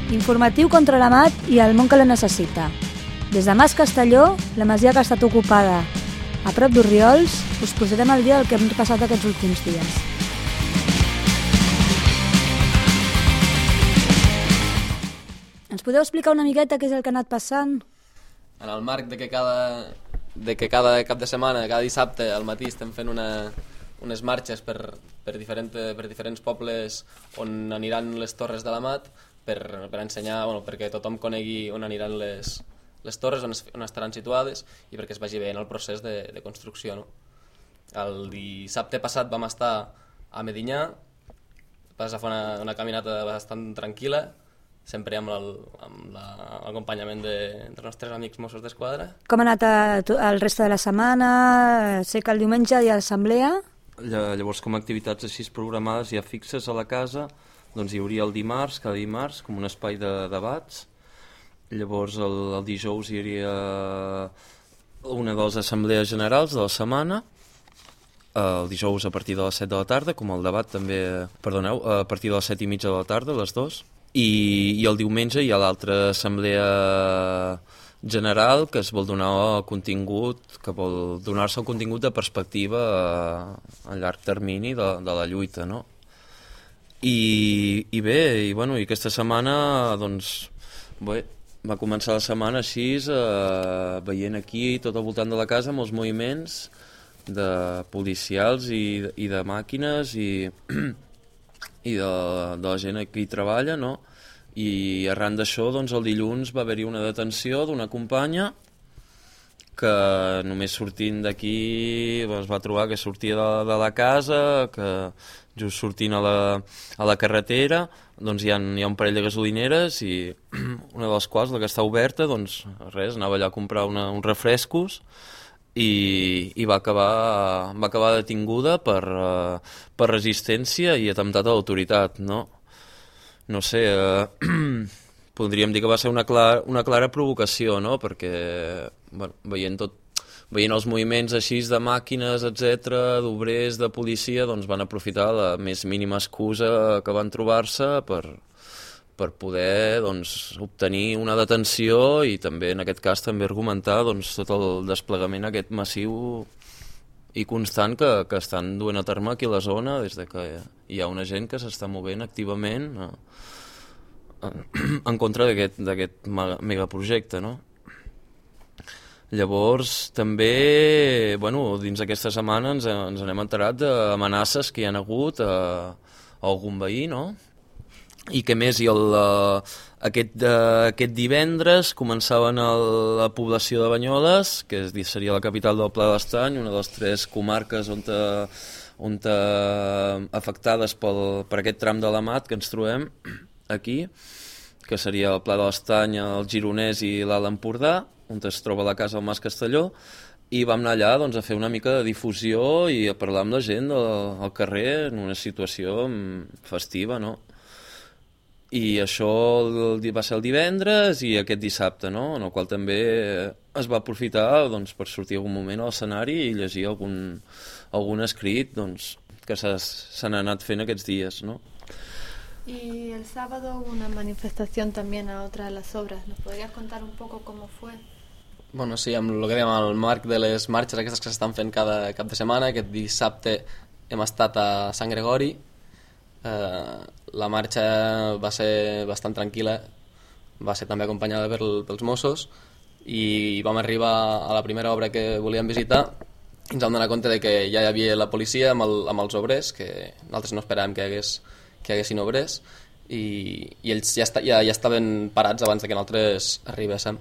Informatiu contra la mat i el món que la necessita. Des de Mas Castelló, la masia que ha estat ocupada a prop d'Orriols, us posarem al dia del que hem passat aquests últims dies. Ens podeu explicar una miqueta què és el que ha anat passant? En el marc de que cada cap de setmana, cada dissabte al matí estem fent unes marxes per diferents pobles on aniran les torres de la mat per ensenyar, perquè tothom conegui on aniran les torres, on estaran situades i perquè es vagi veient el procés de construcció. No? El dissabte passat vam estar a Medinyà, vas a fer una caminata bastant tranquil·la, sempre amb l'acompanyament dels nostres amics Mossos d'Esquadra. Com ha anat el reste de la setmana? Sé que el diumenge hi ha assemblea. Llavors, com a activitats així programades ja fixes a la casa, doncs hi hauria el dimarts, cada dimarts, com un espai de debats. Llavors el dijous hi hauria una de les assemblees generals de la setmana, el dijous a partir de les 7 de la tarda, com el debat també, a partir de les 7 i mitja de la tarda, les dues. I el diumenge hi ha l'altra assemblea general que es vol donar el contingut, que vol donar-se el contingut de perspectiva a llarg termini de la lluita, no? I aquesta setmana doncs va començar la setmana així veient aquí tot al voltant de la casa molts moviments de policials i de màquines i de la gent que hi treballa, no? I arran d'això, doncs, el dilluns va haver-hi una detenció d'una companya que només sortint d'aquí es va trobar que sortia de la casa, que just sortint a la carretera doncs hi ha un parell de gasolineres i una de les quals, la que està oberta, doncs res, anava allà a comprar uns refrescos i va acabar detinguda per resistència i atemptat a l'autoritat, no? No sé, podríem dir que va ser una clara provocació, no? Perquè veient els moviments així de màquines, etc, d'obrers, de policia, doncs van aprofitar la més mínima excusa que van trobar-se per poder obtenir una detenció i també en aquest cas també argumentar tot el desplegament aquest massiu i constant que estan duent a terme aquí a la zona des que hi ha una gent que s'està movent activament en contra d'aquest megaprojecte, no? Llavors també dins aquesta setmana ens n'hem enterat d'amenaces que hi ha hagut a algun veí, no? I que més, aquest divendres començaven a la població de Banyoles, que seria la capital del Pla de l'Estany, una de les 3 comarques on afectades per aquest tram de la mat que ens trobem aquí, que seria el Pla de l'Estany, el Gironès i l'Alt Empordà, on es troba la casa del Mas Castelló, i vam anar allà a fer una mica de difusió i a parlar amb la gent al carrer en una situació festiva, no? I això va ser el divendres i aquest dissabte, no? En el qual també es va aprofitar per sortir algun moment a l'escenari i llegir algun escrit que s'han anat fent aquests dies, no? Y el sábado hubo una manifestación también a otra de las obras. ¿Nos podrías contar un poco cómo fue? Bueno, sí, amb el que dèiem, al marc de les marxes aquestes que s'estan fent cada cap de setmana, aquest dissabte hem estat a Sant Gregori. La marxa va ser bastant tranquil·la, va ser també acompanyada pels Mossos i vam arribar a la primera obra que volíem visitar i ens vam donar compte de que ja hi havia la policia amb els obrers, que nosaltres no esperàvem que hi haguessin obrers i ells ja estaven parats abans que nosaltres arribéssim.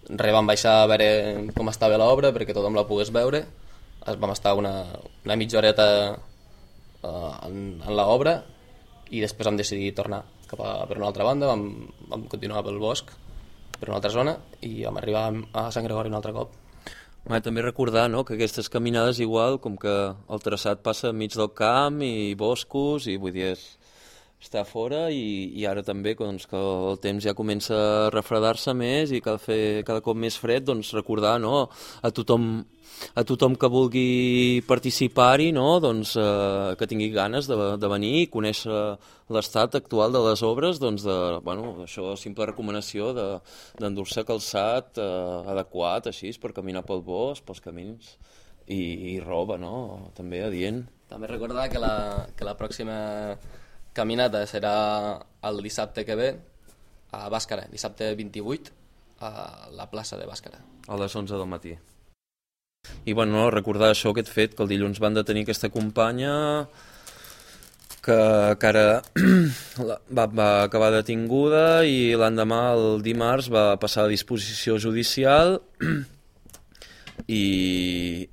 Vam baixar a veure com estava l'obra perquè tothom la pogués veure. Vam estar una mitja horeta en l'obra i després vam decidir tornar cap per una altra banda, vam continuar pel bosc per una altra zona i vam arribar a Sant Gregori un altre cop. També recordar, no, que aquestes caminades igual, com que el traçat passa enmig del camp i boscos i vull dir estar fora i ara també doncs, que el temps ja comença a refredar-se més i cada cop més fred, doncs recordar, no, a tothom que vulgui participar-hi, no, doncs, que tingui ganes de venir i conèixer l'estat actual de les obres, doncs, això, simple recomanació d'endur-se calçat adequat, així, per caminar pel bosc, pels camins, i roba, no?, també adient. També recordar que la pròxima caminata serà el dissabte que ve a Bàscara, dissabte 28, a la plaça de Bàscara. A les 11 del matí. I bueno, recordar això, aquest fet, que el dilluns van detenir aquesta companya que ara va acabar detinguda i l'endemà, el dimarts, va passar a disposició judicial i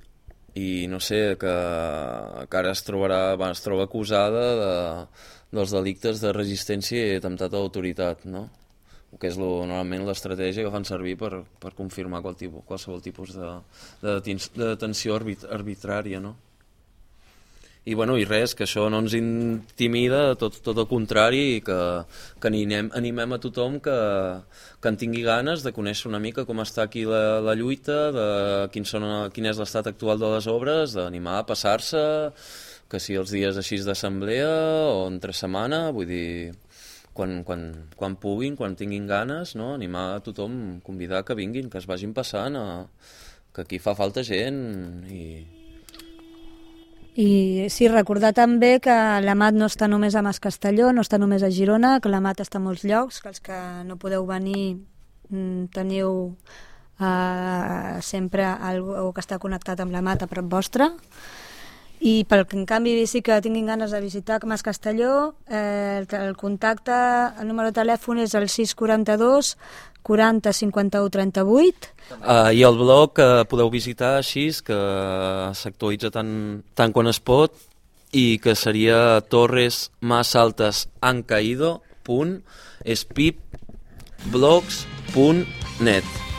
no sé, que ara es troba acusada dels delictes de resistència i atemptat a l'autoritat, no? Que és normalment l'estratègia que fan servir per confirmar qualsevol tipus de detenció arbitrària, no? I bueno, i res, que això no ens intimida, tot el contrari, que animem a tothom que en tingui ganes de conèixer una mica com està aquí la lluita, de quin és l'estat actual de les obres, d'animar a passar-se, que si els dies així d'assemblea o entre setmana, vull dir, quan puguin, quan tinguin ganes, no? Animar a tothom, convidar que vinguin, que es vagin passant, que aquí fa falta gent I sí, recordar també que l'AMAT no està només a Mas Castelló, no està només a Girona, que l'AMAT està a molts llocs, que els que no podeu venir teniu sempre algú que està connectat amb l'AMAT a prop vostre. I pel que en canvi sí que tinguin ganes de visitar Mas Castelló, el contacte, el número de telèfon és el 642 40 51 38. I el blog que podeu visitar així, que s'actualitza tant quan es pot, i que seria torresmasaltasancaído.espipblogs.net.